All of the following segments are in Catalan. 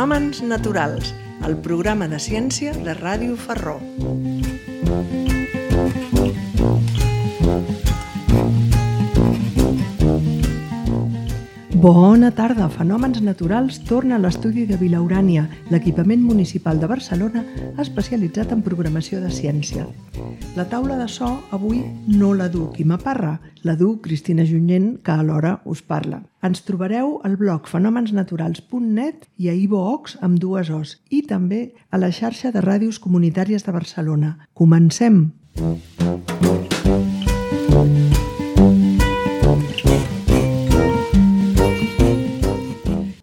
Fenòmens naturals, el programa de ciència de Ràdio Ferró. Bona tarda! Fenòmens naturals torna a l'estudi de Vilaurània, l'equipament municipal de Barcelona especialitzat en programació de ciència. La taula de so avui no la du Quima Parra, la du Cristina Junyent, que alhora us parla. Ens trobareu al blog fenomensnaturals.net i a iVoox amb 2 O's i també a la xarxa de ràdios comunitàries de Barcelona. Comencem!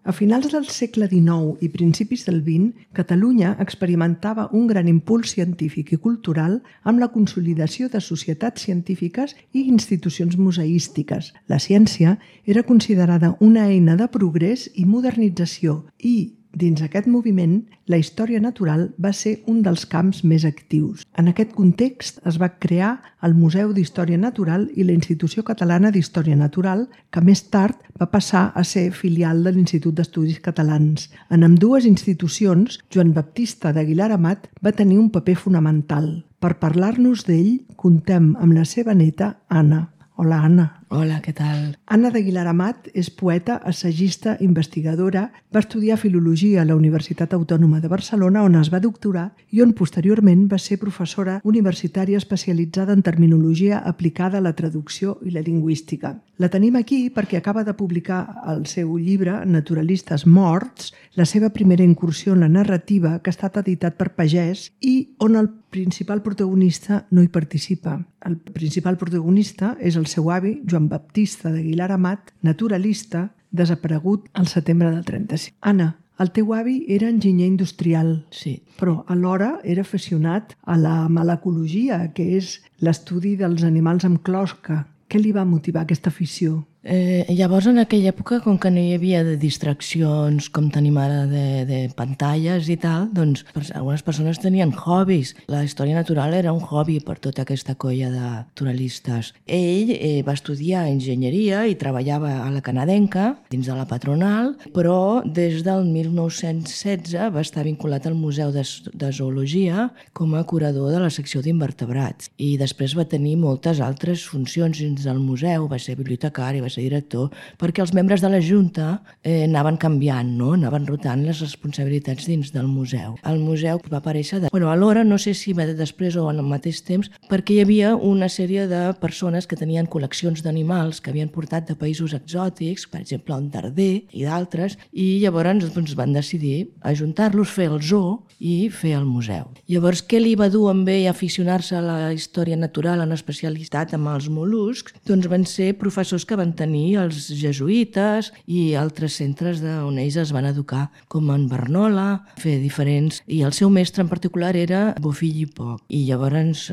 A finals del segle XIX i principis del XX, Catalunya experimentava un gran impuls científic i cultural amb la consolidació de societats científiques i institucions museístiques. La ciència era considerada una eina de progrés i modernització i, dins aquest moviment, la història natural va ser un dels camps més actius. En aquest context es va crear el Museu d'Història Natural i la Institució Catalana d'Història Natural, que més tard va passar a ser filial de l'Institut d'Estudis Catalans. En ambdues institucions, Joan Baptista d'Aguilar Amat va tenir un paper fonamental. Per parlar-nos d'ell, contem amb la seva neta, Anna. Hola, Anna. Hola, què tal? Anna d'Aguilar Amat és poeta, assagista, investigadora, va estudiar filologia a la Universitat Autònoma de Barcelona, on es va doctorar i on posteriorment va ser professora universitària especialitzada en terminologia aplicada a la traducció i la lingüística. La tenim aquí perquè acaba de publicar el seu llibre Naturalistes morts, la seva primera incursió en la narrativa, que ha estat editat per Pagès i on el principal protagonista no hi participa. El principal protagonista és el seu avi, Joan Baptista d'Aguilar Amat, naturalista, desaparegut al setembre del 35. Anna, el teu avi era enginyer industrial, sí, però alhora era aficionat a la malacologia, que és l'estudi dels animals amb closca. Què li va motivar aquesta afició? Llavors, en aquella època, com que no hi havia de distraccions com tenim ara de pantalles i tal, doncs algunes persones tenien hobbies. La història natural era un hobby per tota aquesta colla de naturalistes. Ell va estudiar enginyeria i treballava a la canadenca, dins de la patronal, però des del 1916 va estar vinculat al Museu de Zoologia com a curador de la secció d'invertebrats. I després va tenir moltes altres funcions dins del museu, va ser bibliotecari, va ser director, perquè els membres de la Junta anaven canviant, no? Anaven rotant les responsabilitats dins del museu. El museu va aparèixer alhora, no sé si després o al mateix temps, perquè hi havia una sèrie de persones que tenien col·leccions d'animals que havien portat de països exòtics, per exemple un darder i d'altres, i llavors van decidir ajuntar-los, fer el zoo i fer el museu. Llavors, què li va dur amb ell a aficionar-se a la història natural en especialitat amb els mol·luscs? Doncs van ser professors que van tenir els jesuïtes i altres centres on ells es van educar, com en Barnola, fer diferents... I el seu mestre en particular era Bofill i Poch. I llavors,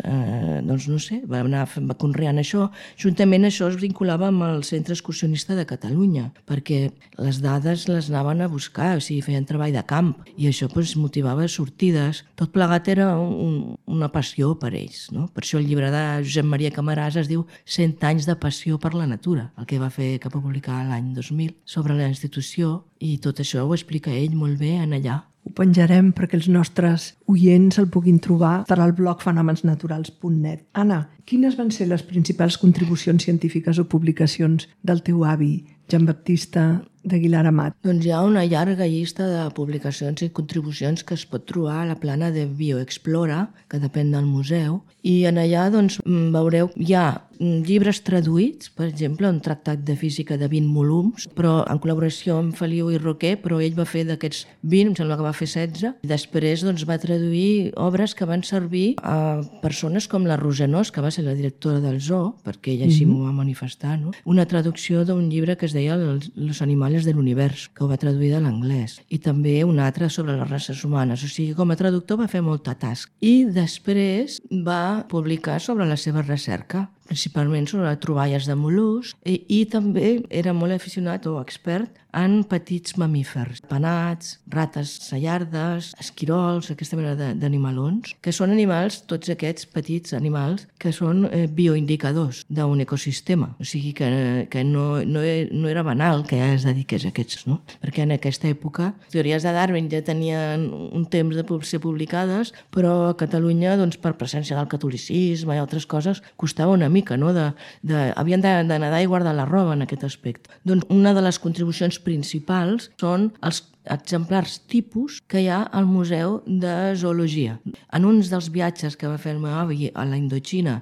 doncs no sé, va conreant això. Juntament això es vinculava amb el Centre Excursionista de Catalunya, perquè les dades les anaven a buscar, o sigui, feien treball de camp, i això motivava sortides. Tot plegat era una passió per ells, no? Per això el llibre de Josep Maria Camarasa es diu 100 anys de passió per la natura, el que va publicar l'any 2000 sobre la institució, i tot això ho explica ell molt bé en allà. Ho penjarem perquè els nostres oients el puguin trobar al blog fenomensnaturals.net. Anna, quines van ser les principals contribucions científiques o publicacions del teu avi, Joan Baptista d'Aguilar Amat? Doncs hi ha una llarga llista de publicacions i contribucions que es pot trobar a la plana de Bioexplora, que depèn del museu, i en allà veureu, hi ha llibres traduïts, per exemple, un tractat de física de 20 volums, però en col·laboració amb Feliu i Roquer, però ell va fer d'aquests 20, em sembla que va fer 16, i després va traduir obres que van servir a persones com la Rosenós, que va ser la directora del zoo, perquè ella així m'ho va manifestar, no? Una traducció d'un llibre que es deia Los animales de l'univers, que ho va traduir de l'anglès, i també un altre sobre les races humanes. O sigui, com a traductor va fer molta tasca. I després va publicar sobre la seva recerca, principalment sobre troballes de mol·luscs, i també era molt aficionat o expert en petits mamífers, penats, rates sallardes, esquirols, aquesta mena d'animalons, que són animals, tots aquests petits animals, que són bioindicadors d'un ecosistema. O sigui que no era banal que es dediqués a aquests, no? Perquè en aquesta època teories de Darwin ja tenien un temps de ser publicades, però a Catalunya, doncs, per presència del catolicisme i altres coses, costava una mica, no? Havien de nedar i guardar la roba en aquest aspecte. Doncs una de les contribucions principals són els exemplars tipus que hi ha al Museu de Zoologia. En uns dels viatges que va fer el meu avi a la Indoxina,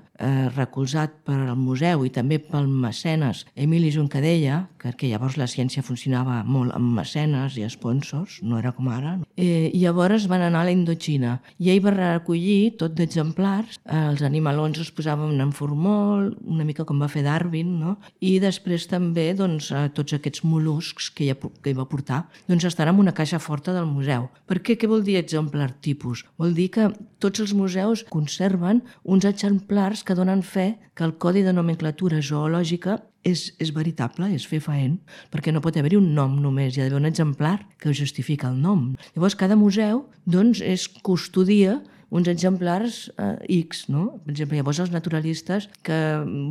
recolzat per al museu i també pel mecenes Emili Juncadella, perquè llavors la ciència funcionava molt amb mecenes i sponsors, no era com ara, i llavors van anar a la Indoxina i ell va recollir tot d'exemplars, els animalons es posaven en formol, una mica com va fer Darwin, no? I després també doncs, tots aquests mol·luscs que hi va portar doncs estan en una caixa forta del museu. Per què? Què vol dir exemplar tipus? Vol dir que tots els museus conserven uns exemplars que donen fe que el codi de nomenclatura zoològica és veritable, és fefaent, perquè no pot haver-hi un nom només, hi ha d'haver un exemplar que justifica el nom. Llavors, cada museu doncs, custodia uns exemplars X, no? Per exemple, llavors els naturalistes que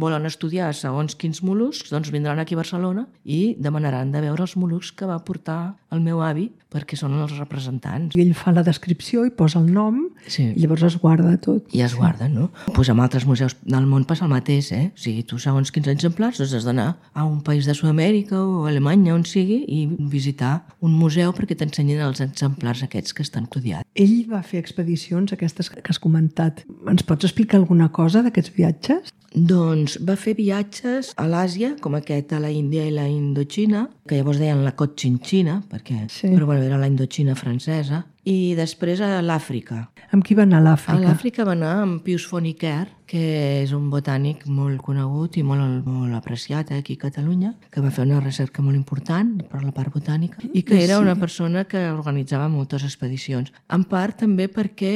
volen estudiar segons quins mol·luscs doncs vindran aquí a Barcelona i demanaran de veure els mol·luscs que va portar el meu avi perquè són els representants. I ell fa la descripció i posa el nom i llavors es guarda tot. I es guarda, no? Pues amb altres museus del món passa el mateix, O sigui, tu segons quins exemplars doncs has d'anar a un país de Sud-amèrica o a Alemanya, on sigui, i visitar un museu perquè t'ensenyin els exemplars aquests que estan codiats. Ell va fer expedicions, aquestes que has comentat. Ens pots explicar alguna cosa d'aquests viatges? Doncs va fer viatges a l'Àsia, com aquest a la Índia i la Indoxina, que llavors deien la Cochinchina, però bueno, era la Indoxina francesa, i després a l'Àfrica. Amb qui va anar a l'Àfrica? A l'Àfrica va anar amb Pius Fonicquer, que és un botànic molt conegut i molt apreciat aquí a Catalunya, que va fer una recerca molt important per la part botànica i que era una persona que organitzava moltes expedicions. En part també perquè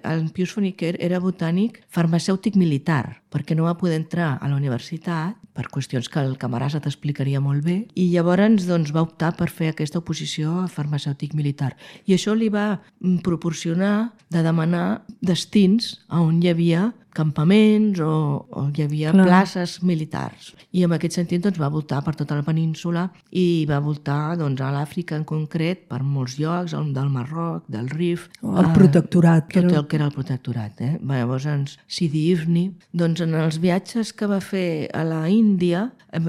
el Pius Fonicquer era botànic farmacèutic militar, perquè no va poder entrar a la universitat per qüestions que el Camarasa t'explicaria molt bé, i llavors doncs, va optar per fer aquesta oposició a farmacèutic militar. I això li va proporcionar de demanar destins on hi havia campaments o hi havia places militars. I en aquest sentit doncs, va voltar per tota la península i va voltar doncs, a l'Àfrica en concret per molts llocs, del Marroc, del Rif... El protectorat. Tot el que era el protectorat. Llavors, Sidi Ifni, doncs en els viatges que va fer a la Índia,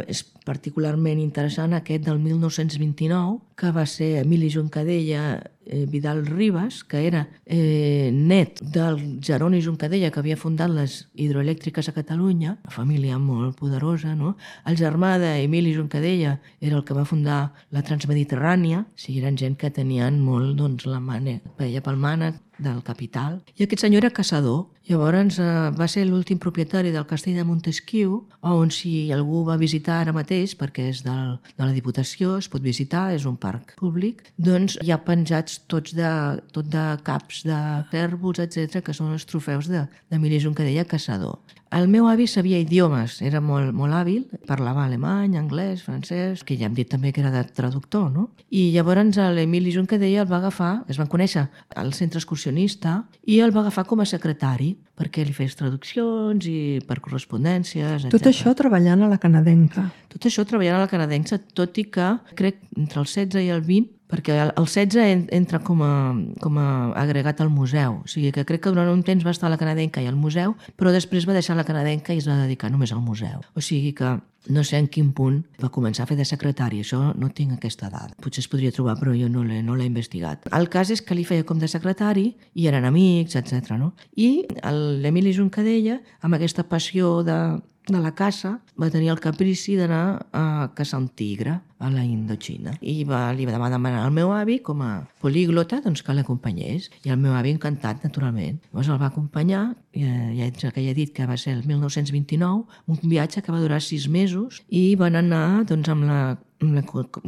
és particularment interessant aquest del 1929, que va ser Emili Juncadella Vidal Ribas, que era net del Jeroni Juncadella, que havia fundat les hidroelèctriques a Catalunya, una família molt poderosa, no? El germà d'Emili Juncadella era el que va fundar la Transmediterrània, o sigui, eren gent que tenien molt, doncs, la paella pel mànec del capital. I aquest senyor era caçador. Llavors va ser l'últim propietari del castell de Montesquiu, on si algú va visitar ara mateix, perquè és de la Diputació, es pot visitar, és un parc públic, doncs hi ha penjats tot de caps de cérvols, etc., que són els trofeus d'Emili Juncadella, caçador. El meu avi sabia idiomes, era molt hàbil, parlava alemany, anglès, francès, que ja hem dit també que era de traductor, no? I llavors l'Emili Juncadella el va agafar, es van conèixer al centre excursionista, i el va agafar com a secretari, perquè li fes traduccions i per correspondències, etc. Tot això treballant a la canadenca. Tot això treballant a la canadenca, tot i que crec entre el 16 i el 20, perquè el 16 entra com a agregat al museu. O sigui que crec que durant un temps va estar a la canadenca i al museu, però després va deixar la canadenca i es va dedicar només al museu. O sigui que no sé en quin punt va començar a fer de secretari, això no tinc aquesta dada. Potser es podria trobar, però jo no l'he investigat. El cas és que li feia com de secretari i eren amics, etc. No? I l'Emili Juncadella, amb aquesta passió de la caça, va tenir el caprici d'anar a caçar un tigre a la Indoxina. I li va demanar al meu avi, com a políglota, doncs que l'acompanyés. I el meu avi encantat, naturalment. Llavors el va acompanyar, ja he dit que va ser el 1929, un viatge que va durar 6 mesos, i van anar doncs, amb la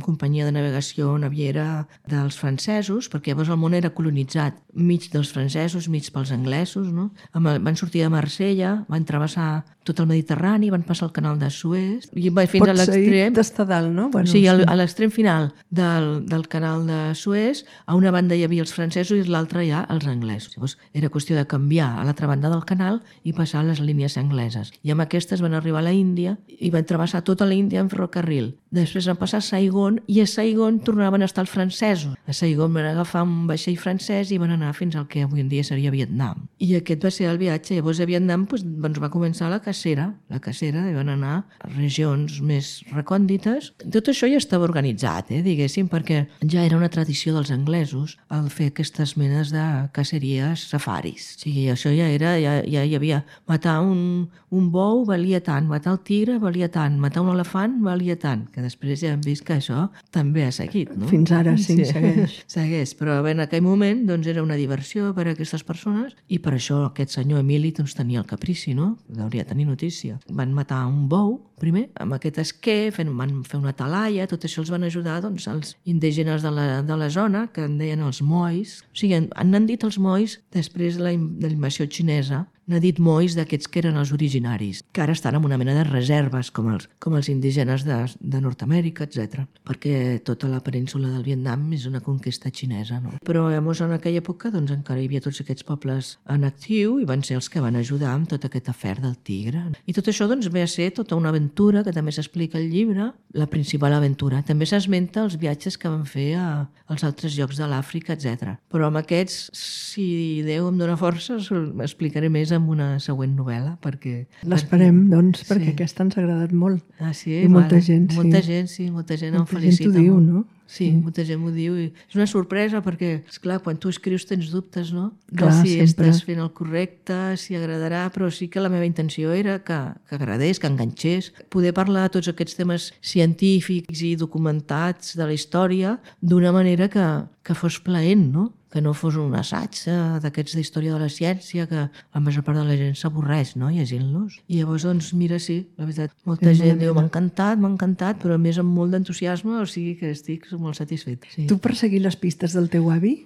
companyia de navegació naviera dels francesos, perquè llavors el món era colonitzat, mig dels francesos, mig pels anglesos, no? Van sortir de Marsella, van travessar tot el Mediterrani, van passar el canal de Suez, i va fins a l'extrem... Pots d'estar dalt, no? Bueno. Sí, sigui, a l'extrem final del canal de Suez, a una banda hi havia els francesos i a l'altra ja els anglesos. Llavors, era qüestió de canviar a l'altra banda del canal i passar a les línies angleses. I amb aquestes van arribar a la Índia i van travessar tota la Índia en ferrocarril. Després van passar a Saigon i a Saigon tornaven a estar els francesos. A Saigon van agafar un vaixell francès i van anar fins al que avui en dia seria Vietnam. I aquest va ser el viatge. Llavors a Vietnam va començar la cacera i van anar a regions més recòndites. Tot això ja estava organitzat, diguéssim, perquè ja era una tradició dels anglesos el fer aquestes menes de caceries safaris. O sigui, això ja hi havia matar un bou valia tant, matar el tigre valia tant, matar un elefant valia tant, que després ja hem vist que això també ha seguit, no? Fins ara sí, segueix. Segueix, però en aquell moment era una diversió per a aquestes persones i per això aquest senyor Emili tenia el caprici, no? Hauria de tenir notícia. Van matar un bou, primer, amb aquest esquer, van fer una talaia, tot això els van ajudar els indígenes de la zona, que en deien els mois. O sigui, han dit els mois després de la invasió xinesa, n'ha dit mois d'aquests que eren els originaris, que ara estan en una mena de reserves, com els indígenes de Nord-Amèrica, etc. Perquè tota la península del Vietnam és una conquesta xinesa, no? Però llavors en aquella època encara hi havia tots aquests pobles en actiu i van ser els que van ajudar amb tot aquest afer del tigre. I tot això ve a ser tota una aventura que també s'explica al llibre, la principal aventura. També s'esmenta els viatges que van fer als altres llocs de l'Àfrica, etc. Però amb aquests, si Déu em dóna forces, explicaré més amb una següent novel·la, perquè... L'esperem, doncs, perquè aquesta ens ha agradat molt. Ah, sí? I molta gent em felicita. Molta gent ho diu, no? Sí, molta gent m'ho diu. I és una sorpresa perquè, esclar, quan tu escrius tens dubtes, no? Clar, si sempre. estàs fent el correcte, si agradarà, però sí que la meva intenció era que agradés, que enganxés, poder parlar de tots aquests temes científics i documentats de la història d'una manera que fos plaent, no? Que no fos un assaig d'aquests d'història de la ciència, que la major part de la gent s'avorreix, no?, llegint-los. I llavors, mirà, sí, la veritat, molta gent diu, m'ha encantat, però a més amb molt d'entusiasme, o sigui que estic molt satisfet. Sí. Tu, per seguir les pistes del teu avi,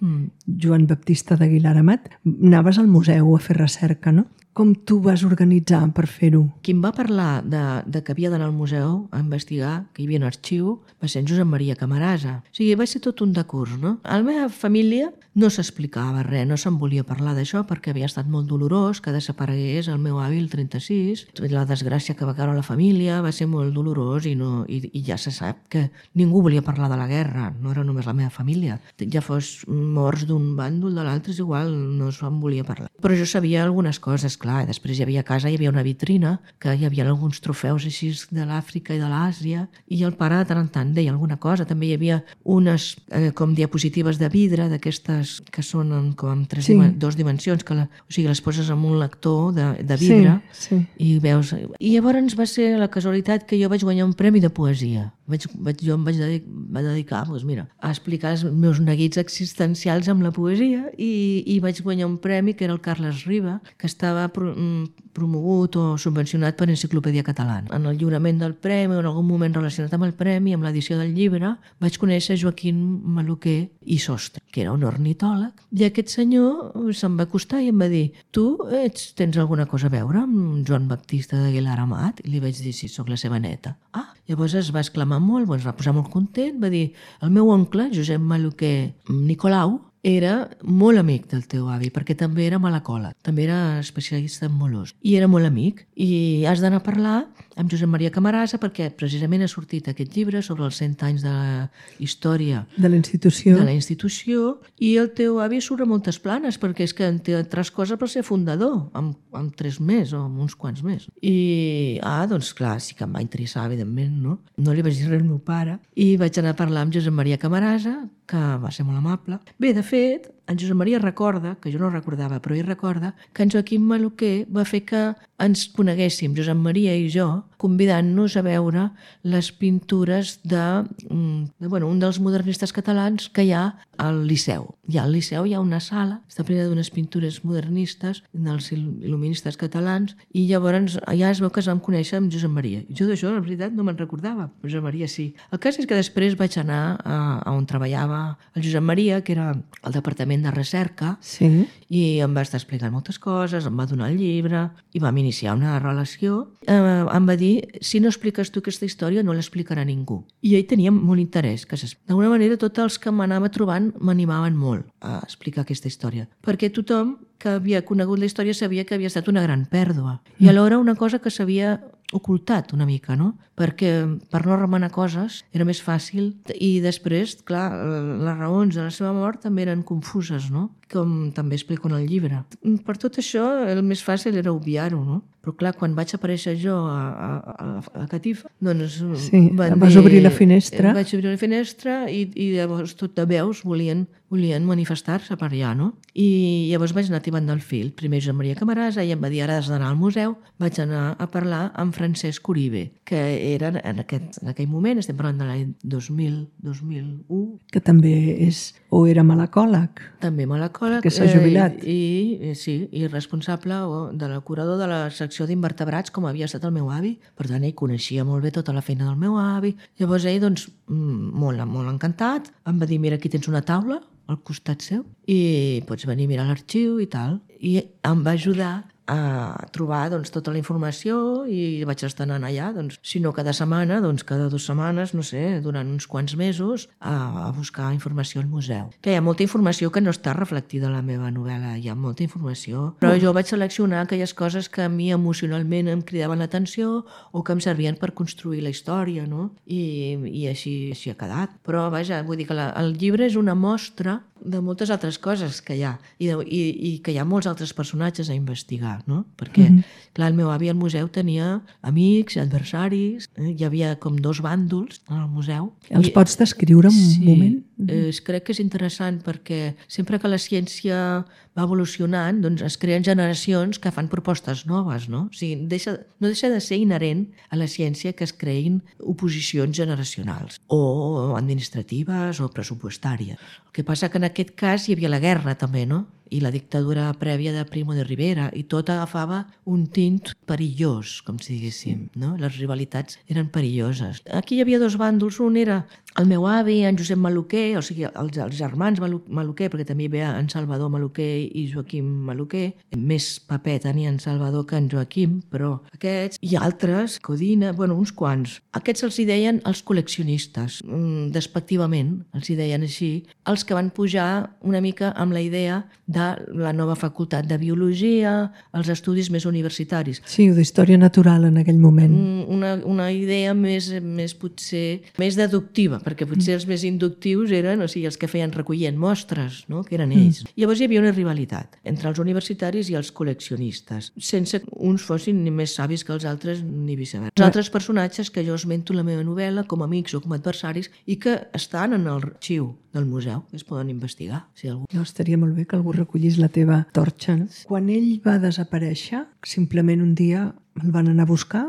Joan Baptista d'Aguilar Amat, anaves al museu a fer recerca, no? Com tu vas organitzar per fer-ho? Qui em va parlar de que havia d'anar al museu a investigar, que hi havia un arxiu, va ser en Josep Maria Camarasa. O sigui, va ser tot un decurs, no? A la meva família no s'explicava res, no se'n volia parlar d'això perquè havia estat molt dolorós que desaparegués el meu avi el 36. La desgràcia que va caure a la família va ser molt dolorós i ja se sap que ningú volia parlar de la guerra, no era només la meva família. Ja fos morts d'un bàndol, de l'altre, és igual, no se'n volia parlar. Però jo sabia algunes coses, clar. Després hi havia a casa, hi havia una vitrina que hi havia alguns trofeus així de l'Àfrica i de l'Àsia i el pare de tant en tant deia alguna cosa. També hi havia unes com diapositives de vidre d'aquestes que són com dos dimensions, o sigui, les poses en un lector de vidre i veus. I llavors va ser la casualitat que jo vaig guanyar un premi de poesia. Jo em vaig dedicar a explicar els meus neguits existencials amb la poesia i vaig guanyar un premi que era el Carles Riba, que estava promogut o subvencionat per Enciclopèdia Catalana. En el lliurament del premi o en algun moment relacionat amb el premi, amb l'edició del llibre, vaig conèixer Joaquim Maluquer i Sostre, que era un ornitòleg, i aquest senyor se'm va acostar i em va dir: tu tens alguna cosa a veure amb Joan Baptista d'Aguilar Amat? I li vaig dir: sí, sóc la seva neta. Llavors es va exclamar molt, es va posar molt content, va dir: el meu oncle, Josep Maluquer Nicolau, era molt amic del teu avi, perquè també era malacòleg, també era especialista en mol·luscs, i era molt amic. I has d'anar a parlar amb Josep Maria Camarasa perquè precisament ha sortit aquest llibre sobre els 100 anys de la història de la institució i el teu avi surt a moltes planes perquè és que té altres coses per ser fundador, amb 3 més o amb uns quants més. I, doncs clar, sí que em va interessar, evidentment, no? No li vaig dir res al meu pare i vaig anar a parlar amb Josep Maria Camarasa, que va ser molt amable. Bé, de fet, en Josep Maria recorda, que jo no recordava, però ell recorda, que en Joaquim Maluquer va fer que ens coneguéssim, Josep Maria i jo, convidant-nos a veure les pintures un dels modernistes catalans que hi ha al Liceu. Al Liceu hi ha una sala, està plena d'unes pintures modernistes dels il·luministes catalans, i llavors ja es veu que es vam conèixer amb Josep Maria. I jo d'això, la veritat, no me'n recordava. Josep Maria sí. El cas és que després vaig anar a on treballava el Josep Maria, que era el departament de recerca, i em va estar explicant moltes coses, em va donar el llibre i vam iniciar una relació. Em va dir, si no expliques tu aquesta història no l'explicarà ningú. I ell tenia molt interès. D'alguna manera tots els que m'anava trobant m'animaven molt a explicar aquesta història, perquè tothom que havia conegut la història sabia que havia estat una gran pèrdua i alhora una cosa que s'havia ocultat una mica, no? Perquè per no remenar coses era més fàcil i després, clar, les raons de la seva mort també eren confuses, no? Com també explico en el llibre. Per tot això, el més fàcil era obviar-ho, no? Però clar, quan vaig aparèixer jo a Catifa, doncs sí, vas obrir la finestra. Vaig obrir la finestra i llavors tot de veus volien manifestar-se per allà, no? I llavors vaig anar tibant del fil. Primer Josep Maria Camarasa i em va dir, ara has d'anar al museu. Vaig anar a parlar amb Francesc Uribe, que era en aquell moment, estem parlant de l'any 2001. Que també és, o era malacòleg. També malacòleg. Que s'ha jubilat. I responsable de la curador de la secció d'invertebrats, com havia estat el meu avi. Per tant, ell coneixia molt bé tota la feina del meu avi. Llavors ell, doncs, molt encantat, em va dir, mira, aquí tens una taula al costat seu i pots venir a mirar l'arxiu i tal. I em va ajudar a trobar doncs, tota la informació i vaig estar anant allà, doncs, si no cada setmana, doncs cada 2 setmanes, no sé, durant uns quants mesos, a buscar informació al museu. Que hi ha molta informació que no està reflectida a la meva novel·la, hi ha molta informació, però jo vaig seleccionar aquelles coses que a mi emocionalment em cridaven l'atenció o que em servien per construir la història, no? I així ha quedat. Però vaja, vull dir que el llibre és una mostra de moltes altres coses que hi ha i que hi ha molts altres personatges a investigar, no? Perquè, clar, el meu avi al museu tenia amics, adversaris, hi havia com 2 bàndols al museu. Els pots descriure un moment? Crec que és interessant perquè sempre que la ciència va evolucionant, doncs es creen generacions que fan propostes noves, no? O sigui, no deixa de ser inherent a la ciència que es creïn oposicions generacionals o administratives o pressupostàries. El que passa que en aquest cas hi havia la guerra també, no? I la dictadura prèvia de Primo de Rivera i tot agafava un tint perillós, com si diguéssim, no? Les rivalitats eren perilloses. Aquí hi havia 2 bàndols, un era el meu avi, en Josep Maluquer, o sigui, els germans Maluquer, perquè també hi havia en Salvador Maluquer i Joaquim Maluquer, més paper tenia en Salvador que en Joaquim, però aquests i altres, Codina, bueno, uns quants. Aquests els hi deien els col·leccionistes, despectivament, els hi deien així, els que van pujar una mica amb la idea de la nova facultat de biologia, els estudis més universitaris. Sí, o d'història natural en aquell moment. Una idea més potser més deductiva, perquè potser els més inductius eren, o sigui, els que feien recollint mostres, no? Que eren ells. Llavors hi havia una rivalitat entre els universitaris i els col·leccionistes, sense que uns fossin ni més savis que els altres ni viceversa. Els altres personatges que jo esmento en la meva novel·la com a amics o com a adversaris i que estan en l'arxiu del museu, que es poden investigar. Si algú... No, estaria molt bé que algú recollís la teva torxa. No? Quan ell va desaparèixer, simplement un dia el van anar a buscar?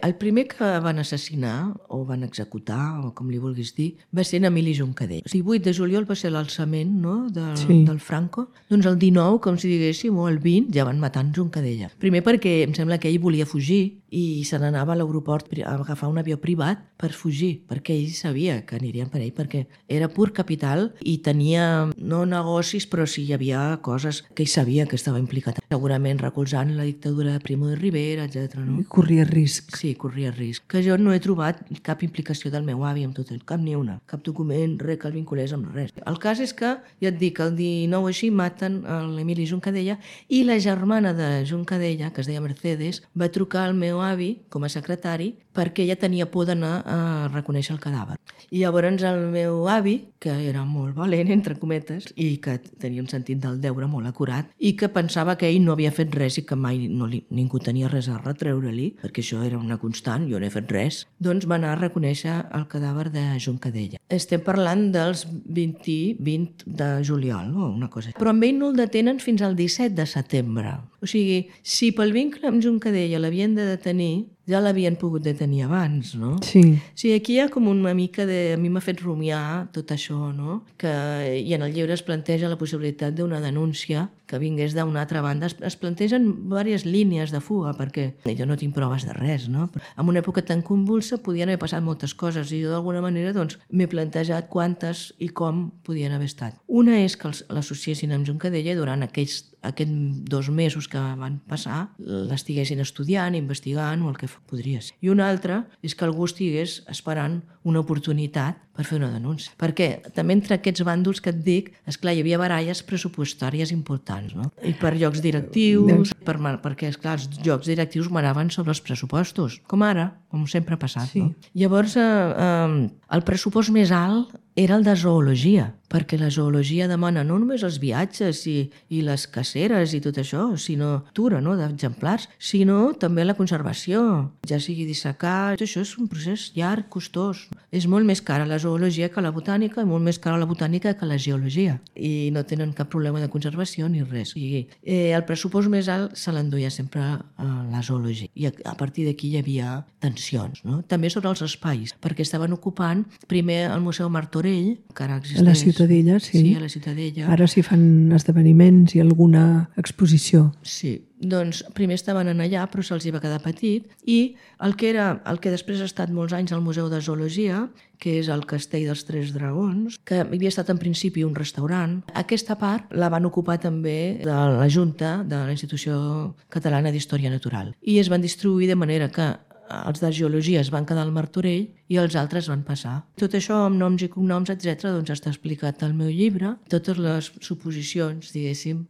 El primer que van assassinar, o van executar, o com li vulguis dir, va ser en Emili Juncadell. El 18 de juliol va ser l'alçament, no?, del Franco. Doncs el 19, com si diguéssim, o el 20, ja van matar en Juncadella. Primer perquè em sembla que ell volia fugir i se n'anava a l'aeroport a agafar un avió privat per fugir, perquè ell sabia que anirien per ell, perquè era pur capital i tenia, no negocis, però sí hi havia coses que ell sabia que estava implicat. Segurament recolzant la dictadura de Primo de Rivera, etc. No? Corria risc. Sí, corria risc. Que jo no he trobat cap implicació del meu avi amb tot el cap, ni una. Cap document, res que el vinculés amb res. El cas és que, ja et dic, el 19 així maten l'Emili Juncadella i la germana de Juncadella, que es deia Mercedes, va trucar al meu avi com a secretari perquè ella tenia por d'anar a reconèixer el cadàver. I llavors el meu avi, que era molt valent, entre cometes, i que tenia un sentit del deure molt acurat, i que pensava que ell no havia fet res i que mai ningú tenia res a retreure-li, perquè això era una constant, jo no he fet res, doncs va anar a reconèixer el cadàver de Juncadella. Estem parlant dels 20 de juliol o una cosa. Però amb ell no el detenen fins al 17 de setembre. O sigui, si pel vincle amb Juncadella l'havien de detenir, ja l'havien pogut detenir abans, no? Sí. Sí, aquí hi ha com una mica de... A mi m'ha fet rumiar tot això, no? I en el llibre es planteja la possibilitat d'una denúncia que vingués d'una altra banda. Es plantegen diverses línies de fuga, perquè jo no tinc proves de res, no? En una època tan convulsa podien haver passat moltes coses i jo d'alguna manera doncs, m'he plantejat quantes i com podien haver estat. Una és que l'associessin amb Juncadella i durant aquests 2 mesos que van passar l'estiguessin estudiant, investigant o el que podria ser. I una altra és que algú estigués esperant una oportunitat per fer una denúncia. Perquè també entre aquests bàndols que et dic, esclar, hi havia baralles pressupostàries importants, no? I per llocs directius, perquè, esclar, els llocs directius manaven sobre els pressupostos, com ara, com sempre ha passat, no? Llavors, el pressupost més alt era el de zoologia, perquè la zoologia demana no només els viatges i les caceres i tot això, sinó cultura, no?, d'exemplars, sinó també la conservació, ja sigui dissecar. Tot això és un procés llarg, costós. És molt més cara la zoologia que la botànica i molt més cara la botànica que la geologia. I no tenen cap problema de conservació ni res. El pressupost més alt se l'enduia sempre a la zoologia. I a partir d'aquí hi havia tensions, no? També sobre els espais, perquè estaven ocupant primer el Museu Martorell, que ara existeix. A la Ciutadella, sí. Sí, a la Ciutadella. Ara s'hi fan esdeveniments i alguna exposició. Sí, doncs primer estaven allà, però se'ls va quedar petit, i el que després ha estat molts anys al Museu de Zoologia, que és el Castell dels Tres Dragons, que havia estat en principi un restaurant. Aquesta part la van ocupar també de la Junta de la Institució Catalana d'Història Natural. I es van distribuir de manera que els de geologia es van quedar al Martorell i els altres van passar. Tot això amb noms i cognoms, etc., doncs està explicat al meu llibre. Totes les suposicions, diguéssim,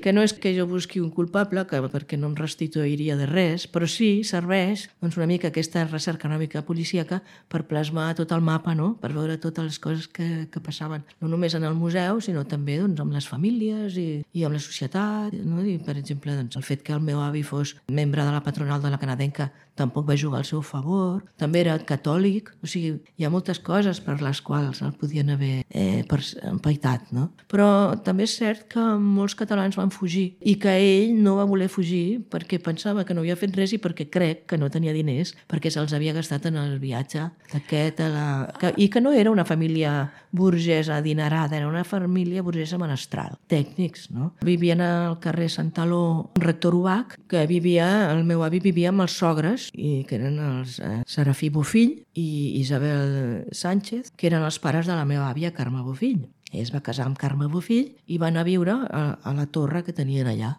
que no és que jo busqui un culpable, perquè no em restituiria de res, però sí serveix doncs, una mica aquesta recerca una mica policíaca per plasmar tot el mapa, no?, per veure totes les coses que passaven, no només en el museu, sinó també doncs, amb les famílies i amb la societat, no? I, per exemple, doncs, el fet que el meu avi fos membre de la patronal de la canadenca tampoc va jugar al seu favor, també era catòlic, o sigui, hi ha moltes coses per les quals el podien haver empaitat, no? Però també és cert que molts catalans van fugir i que ell no va voler fugir perquè pensava que no havia fet res i perquè crec que no tenia diners, perquè se'ls havia gastat en el viatge d'aquest i que no era una família burgesa adinerada, era una família burgesa menestral, tècnics, no? Vivien al carrer Sant Taló, un rector Ubach, que el meu avi vivia amb els sogres, i que eren els Serafí Bofill i Isabel Sánchez, que eren els pares de la meva àvia Carme Bofill. Ell es va casar amb Carme Bofill i van a viure a la torre que tenien allà,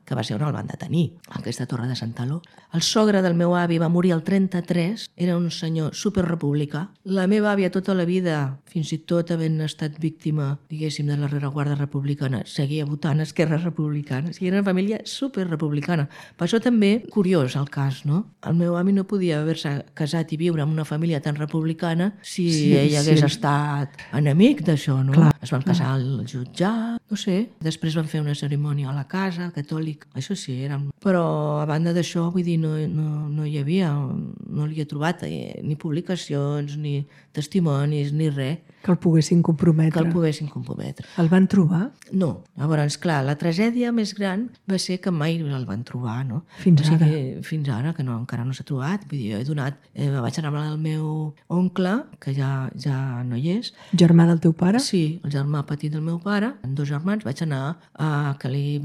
que va ser on el van detenir, aquesta torre de Sant Taló. El sogre del meu avi va morir al 33, era un senyor superrepublicà. La meva àvia tota la vida, fins i tot havent estat víctima, diguéssim, de la rereguarda republicana, seguia votant Esquerra Republicana. I era una família superrepublicana. Per això també, curiós el cas, no? El meu avi no podia haver-se casat i viure en una família tan republicana si ell hagués estat enemic d'això, no? Clar. Es van casar al jutjat, no sé. Després van fer una cerimònia a la casa, catòlic. Això sí, eren... Però a banda d'això, vull dir, no hi havia, no li he trobat ni publicacions, ni testimonis, ni res. Que el poguessin comprometre. El van trobar? No. Llavors, clar, la tragèdia més gran va ser que mai el van trobar, no? Fins ara? Fins ara, que encara no s'ha trobat. Vull dir, vaig anar amb el meu oncle, que ja no hi és. Germà del teu pare? Sí, el germà petit del meu pare, amb 2 germans, vaig anar a que li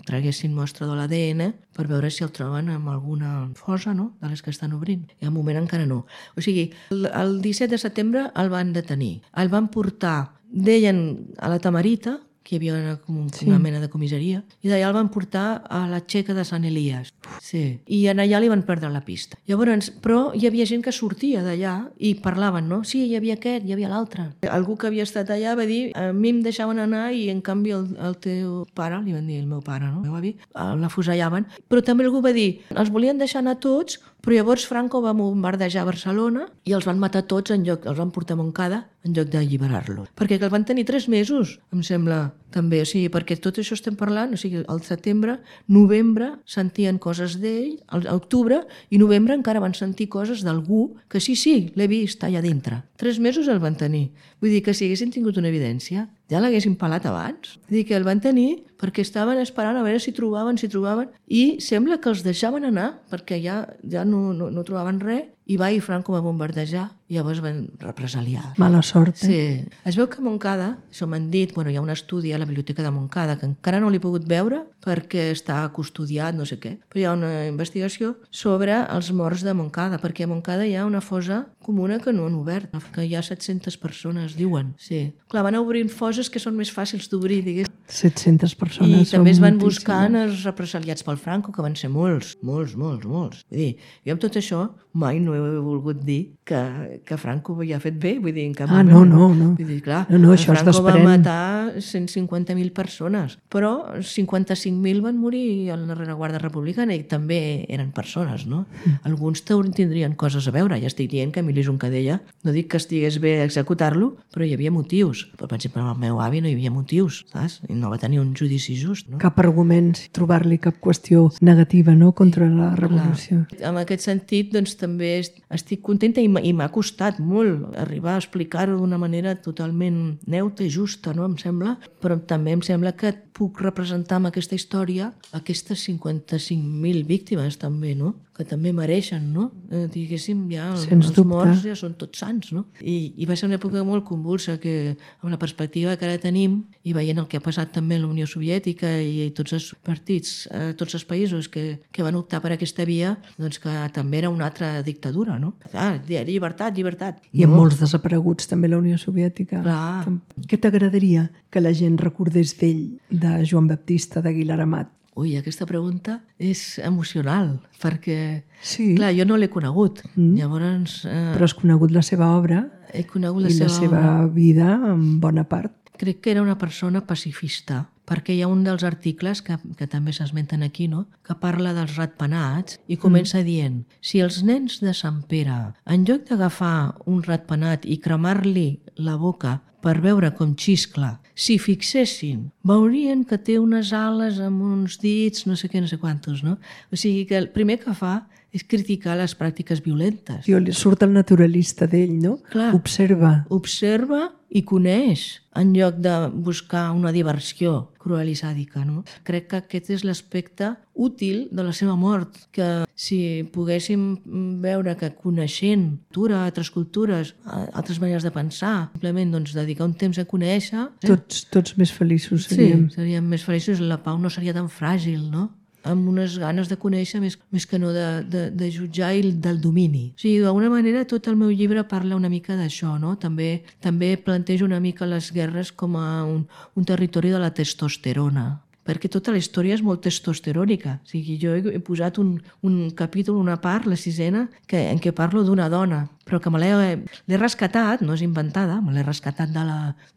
traguessin mostra de l'ADN per veure si el troben amb alguna fosa, no?, de les que estan obrint. I al moment encara no. O sigui, el 17 de setembre el van detenir. El van portar, deien, a la Tamarita, que hi havia una mena de comissaria, i d'allà el van portar a la Txeca de Sant Elies. Sí. I allà li van perdre la pista. Llavors, però hi havia gent que sortia d'allà i parlaven, no? Sí, hi havia aquest, hi havia l'altre. Algú que havia estat allà va dir, a mi em deixaven anar i en canvi el teu pare, li van dir el meu pare, no? El meu avi, l'afusellaven. Però també algú va dir, els volien deixar anar tots, però llavors Franco va bombardejar Barcelona i els van matar tots els van portar a Montcada en lloc d'alliberar-los. Perquè el van tenir 3 mesos, em sembla, també. O sigui, perquè tot això estem parlant, o sigui, al setembre, novembre, sentien coses d'ell, a octubre i novembre encara van sentir coses d'algú que sí, l'he vist allà dintre. 3 mesos el van tenir. Vull dir que si haguessin tingut una evidència, ja l'haguessin pelat abans. Vull dir que el van tenir perquè estaven esperant a veure si trobaven, i sembla que els deixaven anar, perquè ja no trobaven res, i va i Franco va bombardejar, i llavors van represaliar. Mala sort, Sí. Es veu que a Montcada, això m'han dit, hi ha un estudi a la Biblioteca de Montcada, que encara no l'he pogut veure perquè està custodiat, no sé què, però hi ha una investigació sobre els morts de Montcada, perquè a Montcada hi ha una fossa comuna que no han obert, que hi ha 700 persones, diuen. Sí. Clar, van obrint fosses que són més fàcils d'obrir, digués. 700 persones. I també es van buscant els represaliats pel Franco, que van ser molts. Vull dir, jo amb tot això mai no he volgut dir que Franco havia fet bé, vull dir, en cap moment. No. Vull dir, clar, això Franco va matar 150.000 persones, però 55.000 van morir a la rereguarda republicana i també eren persones, no? Alguns tindrien coses a veure. Ja estic dient que Emili Juncadella, no dic que estigués bé executar-lo, però hi havia motius. Però, per exemple, amb el meu avi no hi havia motius, saps? I no va tenir un judici just, no? Cap argument, trobar-li cap qüestió negativa, no?, contra la revolució. Clar. En aquest sentit, doncs, també estic contenta i m'ha costat molt arribar a explicar-ho d'una manera totalment neutra i justa, no?, em sembla, però també em sembla que puc representar amb aquesta història aquestes 55.000 víctimes també, no?, que també mereixen, no? Diguéssim, ja els morts ja són tots sants, no? I va ser una època molt convulsa que, amb la perspectiva que ara tenim i veient el que ha passat també a la Unió Soviètica i tots els partits, tots els països que van optar per aquesta via, doncs que també era una altra dictadura, no? Llibertat. I amb molts desapareguts també la Unió Soviètica. Clar. Què t'agradaria que la gent recordés d'ell, de Joan Baptista d'Aguilar Amat? Ui, aquesta pregunta és emocional, perquè, sí, clar, jo no l'he conegut. Llavors, però has conegut la seva obra he conegut i la seva vida en bona part. Crec que era una persona pacifista, perquè hi ha un dels articles que també s'esmenten aquí, no?, que parla dels ratpenats i comença dient: si els nens de Sant Pere, en lloc d'agafar un ratpenat i cremar-li la boca per veure com xiscla, si fixessin, veurien que té unes ales amb uns dits, no sé què, no sé quantos, no? O sigui que el primer que fa és criticar les pràctiques violentes. Li surt el naturalista d'ell, no? Clar. Observa i coneix, en lloc de buscar una diversió cruel i sàdica, no? Crec que aquest és l'aspecte útil de la seva mort, que si poguéssim veure que coneixent cultura, altres cultures, altres maneres de pensar, simplement doncs, dedicar un temps a conèixer... Tots més feliços seríem. Sí, seríem més feliços, la pau no seria tan fràgil, no?, amb unes ganes de conèixer més que no de jutjar i del domini. O sigui, d'alguna manera tot el meu llibre parla una mica d'això, no? També plantejo una mica les guerres com a un territori de la testosterona, perquè tota la història és molt testosterònica. O sigui, jo he posat un capítol, una part, la 6ena, en què parlo d'una dona, però que me l'he rescatat, no és inventada, me l'he rescatat de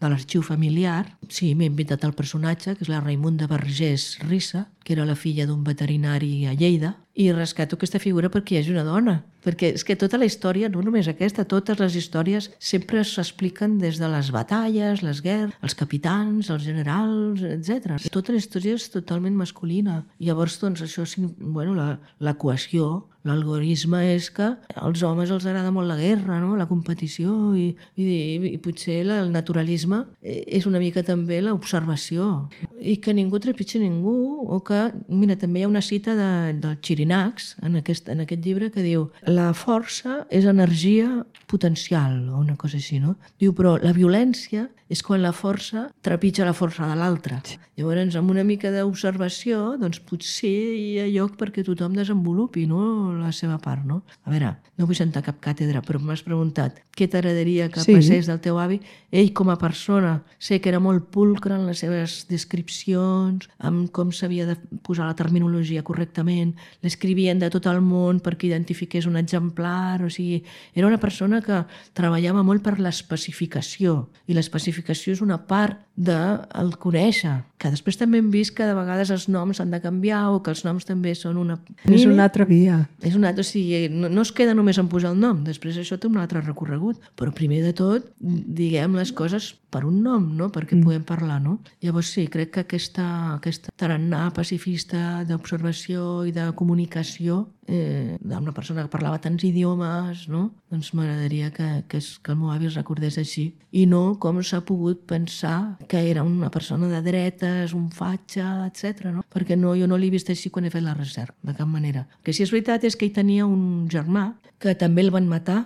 l'arxiu familiar. Sí, m'he inventat el personatge, que és la Raimunda Vergés Rissa, que era la filla d'un veterinari a Lleida, i rescato aquesta figura perquè hi hagi una dona. Perquè és que tota la història, no només aquesta, totes les històries sempre s'expliquen des de les batalles, les guerres, els capitans, els generals, etc. Tota la història és totalment masculina. I llavors, doncs, això, bueno, la cohesió, l'algorisme és que als homes els agrada molt la guerra, no?, la competició, i potser el naturalisme és una mica també l'observació. I que ningú trepitgi ningú, o que, mira, també hi ha una cita del Chirinacs en aquest llibre que diu: la força és energia potencial, o una cosa així, no? Diu, però la violència és quan la força trepitja la força de l'altre. Llavors, amb una mica d'observació, doncs potser hi ha lloc perquè tothom desenvolupi, no?, la seva part, no? A veure, no vull sentar cap càtedra, però m'has preguntat què t'agradaria que passés del teu avi. Ell, com a persona, sé que era molt pulcre en les seves descripcions, amb com s'havia de posar la terminologia correctament, l'escrivien de tot el món perquè identifiqués un exemplar, o sigui, era una persona que treballava molt per l'especificació, i l'especificació és una part del conèixer, que després també hem vist que de vegades els noms s'han de canviar, o que els noms també són una... És una altra via. És un altre, o sigui, no es queda només en posar el nom, després això té un altre recorregut, però primer de tot diguem les coses per un nom, no? Perquè podem parlar, no? Llavors sí, crec que aquesta tarannà pacifista d'observació i de comunicació d'una persona que parlava tants idiomes, no? Doncs m'agradaria que el meu avi es recordés així i no com s'ha pogut pensar que era una persona de dretes, un fatxa, etc. No? Perquè jo no l'he vist així quan he fet la recerca, de cap manera. El que sí és veritat és que ell tenia un germà que també el van matar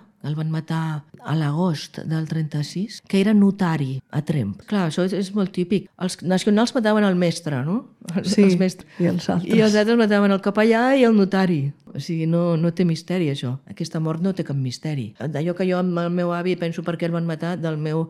a l'agost del 36, que era notari a Tremp. Clar, això és molt típic. Els nacionals mataven el mestre, no? Sí, els mestres. I els altres. I els altres mataven el capellà i el notari. O sigui, no té misteri, això. Aquesta mort no té cap misteri. D'allò que jo amb el meu avi penso per què el van matar, del meu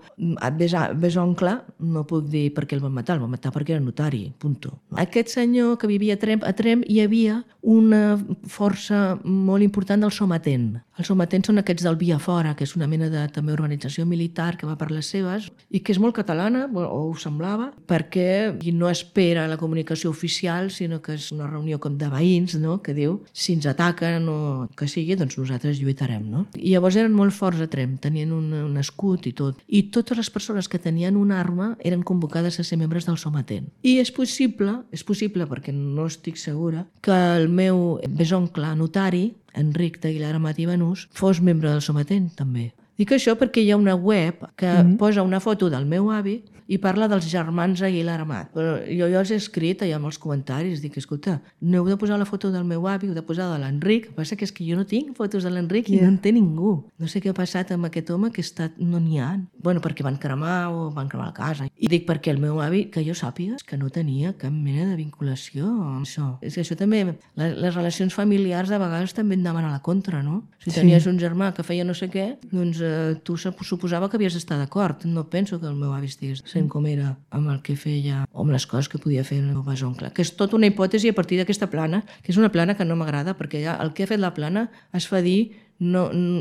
besoncle, no puc dir per què el van matar perquè era notari, punto. Aquest senyor que vivia a Tremp hi havia una força molt important del sometent. Els sometents són aquests del Via Fora, que és una mena de també organització militar que va per les seves i que és molt catalana, o ho semblava, perquè no espera la comunicació oficial, sinó que és una reunió com de veïns, no? Que diu, si ens ataquen o que sigui, doncs nosaltres lluitarem, no? I llavors eren molt forts a Tremp, tenien un escut i tot. I totes les persones que tenien una arma eren convocades a ser membres del sometent. I és possible perquè no estic segura, que el meu besoncle notari, Enric d'Aguilar Amat i Banús, fos membre del sometent, també. Dic això perquè hi ha una web que posa una foto del meu avi i parla dels germans Aguilar Amat. Però jo els he escrit allà amb els comentaris, dic, escolta, no heu de posar la foto del meu avi, heu de posar de l'Enric. El que passa és que jo no tinc fotos de l'Enric i no en té ningú. No sé què ha passat amb aquest home que no n'hi ha. Bueno, perquè van cremar la casa. I dic perquè el meu avi, que jo sàpiga, que no tenia cap mena de vinculació amb això. És que això també, les relacions familiars de vegades també et anaven a la contra, no? Si tenies un germà que feia no sé què, doncs tu suposava que havies d'estar d'acord. No penso que el meu avi estigués com era amb el que feia o amb les coses que podia fer el meu besoncle, que és tota una hipòtesi a partir d'aquesta plana, que és una plana que no m'agrada perquè ja el que ha fet la plana es fa dir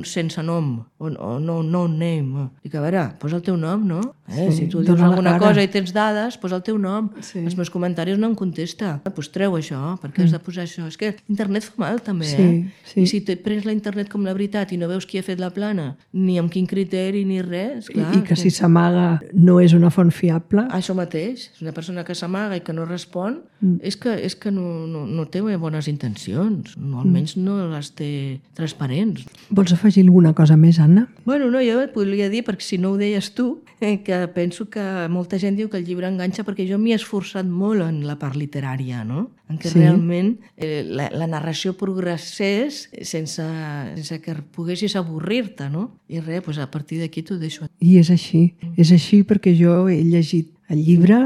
sense nom o no name. Dic, a veure, posa el teu nom, no? Si tu dius alguna cosa i tens dades, posa el teu nom. Els meus comentaris no em contesta. Doncs treu això, perquè has de posar això. És que internet fa mal també, I si et prens la internet com la veritat i no veus qui ha fet la plana, ni amb quin criteri ni res, clar. I que si s'amaga no és una font fiable. Això mateix. És una persona que s'amaga i que no respon, és que no té bones intencions. Almenys no les té transparents. Vols afegir alguna cosa més, Anna? Bueno, no, jo et podria dir, perquè si no ho deies tu, que penso que molta gent diu que el llibre enganxa perquè jo m'hi he esforçat molt en la part literària, no? En què realment la narració progressés sense que poguessis avorrir-te, no? I res, doncs a partir d'aquí t'ho deixo. I és així perquè jo he llegit el llibre,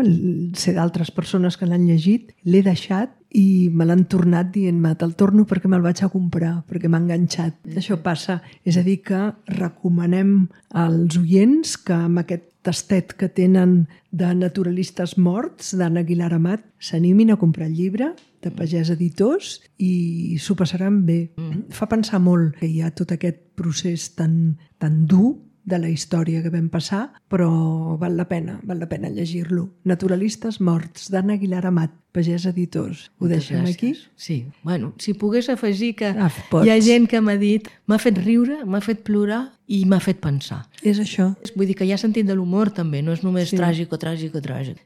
sé d'altres persones que l'han llegit, l'he deixat i me l'han tornat dient-me, te'l torno perquè me'l vaig a comprar, perquè m'ha enganxat. Això passa. És a dir, que recomanem als oients que amb aquest tastet que tenen de naturalistes morts, d'Anna Aguilar Amat, s'animin a comprar el llibre de Pagès Editors i s'ho passaran bé. Fa pensar molt que hi ha tot aquest procés tan dur de la història que vam passar, però val la pena llegir-lo. Naturalistes morts, d'Anna Aguilar Amat, Pagès Editors. Ho deixem aquí? Sí. Bueno, si pogués afegir que hi ha gent que m'ha dit, m'ha fet riure, m'ha fet plorar i m'ha fet pensar. És això. Vull dir que hi ha sentit de l'humor també, no és només tràgic.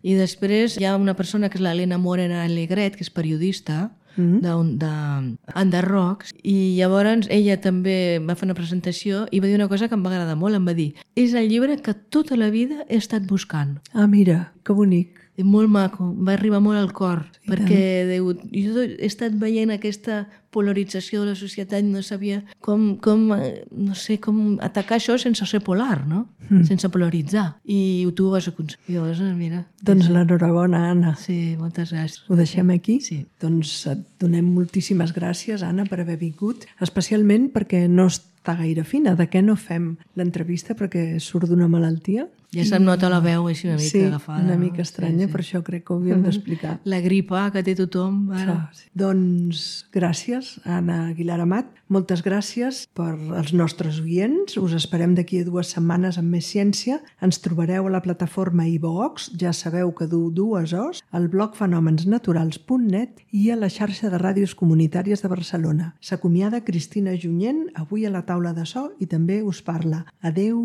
I després hi ha una persona que és l'Helena Morena Alegret, que és periodista, d'Under Rocks, i llavors ella també va fer una presentació i va dir una cosa que em va agradar molt, em va dir, és el llibre que tota la vida he estat buscant. Ah, mira, que bonic. Molt maco, va arribar molt al cor, perquè jo he estat veient aquesta polarització de la societat, no sabia com atacar això sense ser polar, no? Sense polaritzar. I tu ho vas aconseguir. Llavors, mira. Doncs l'enhorabona, Anna. Sí, moltes gràcies. Ho deixem aquí? Sí. Doncs et donem moltíssimes gràcies, Anna, per haver vingut, especialment perquè no està gaire fina. De què no fem l'entrevista perquè surt d'una malaltia? Ja se'm nota la veu així una mica agafada. Sí, una mica estranya, per això crec que ho havíem d'explicar. La gripa que té tothom. Sí. Doncs gràcies, Anna Aguilar Amat. Moltes gràcies per als nostres oients. Us esperem d'aquí a 2 setmanes amb més ciència. Ens trobareu a la plataforma iVox, ja sabeu que du 2 O's, al blog fenomensnaturals.net i a la xarxa de ràdios comunitàries de Barcelona. S'acomiada Cristina Junyent, avui a la taula de so, i també us parla. Adeu!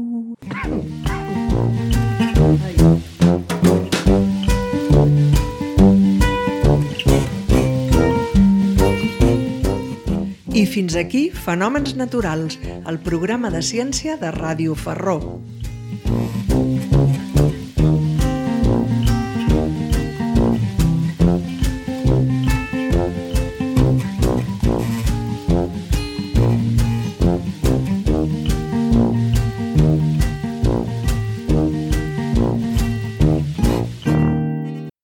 I fins aquí Fenòmens Naturals, el programa de ciència de Ràdio Ferró.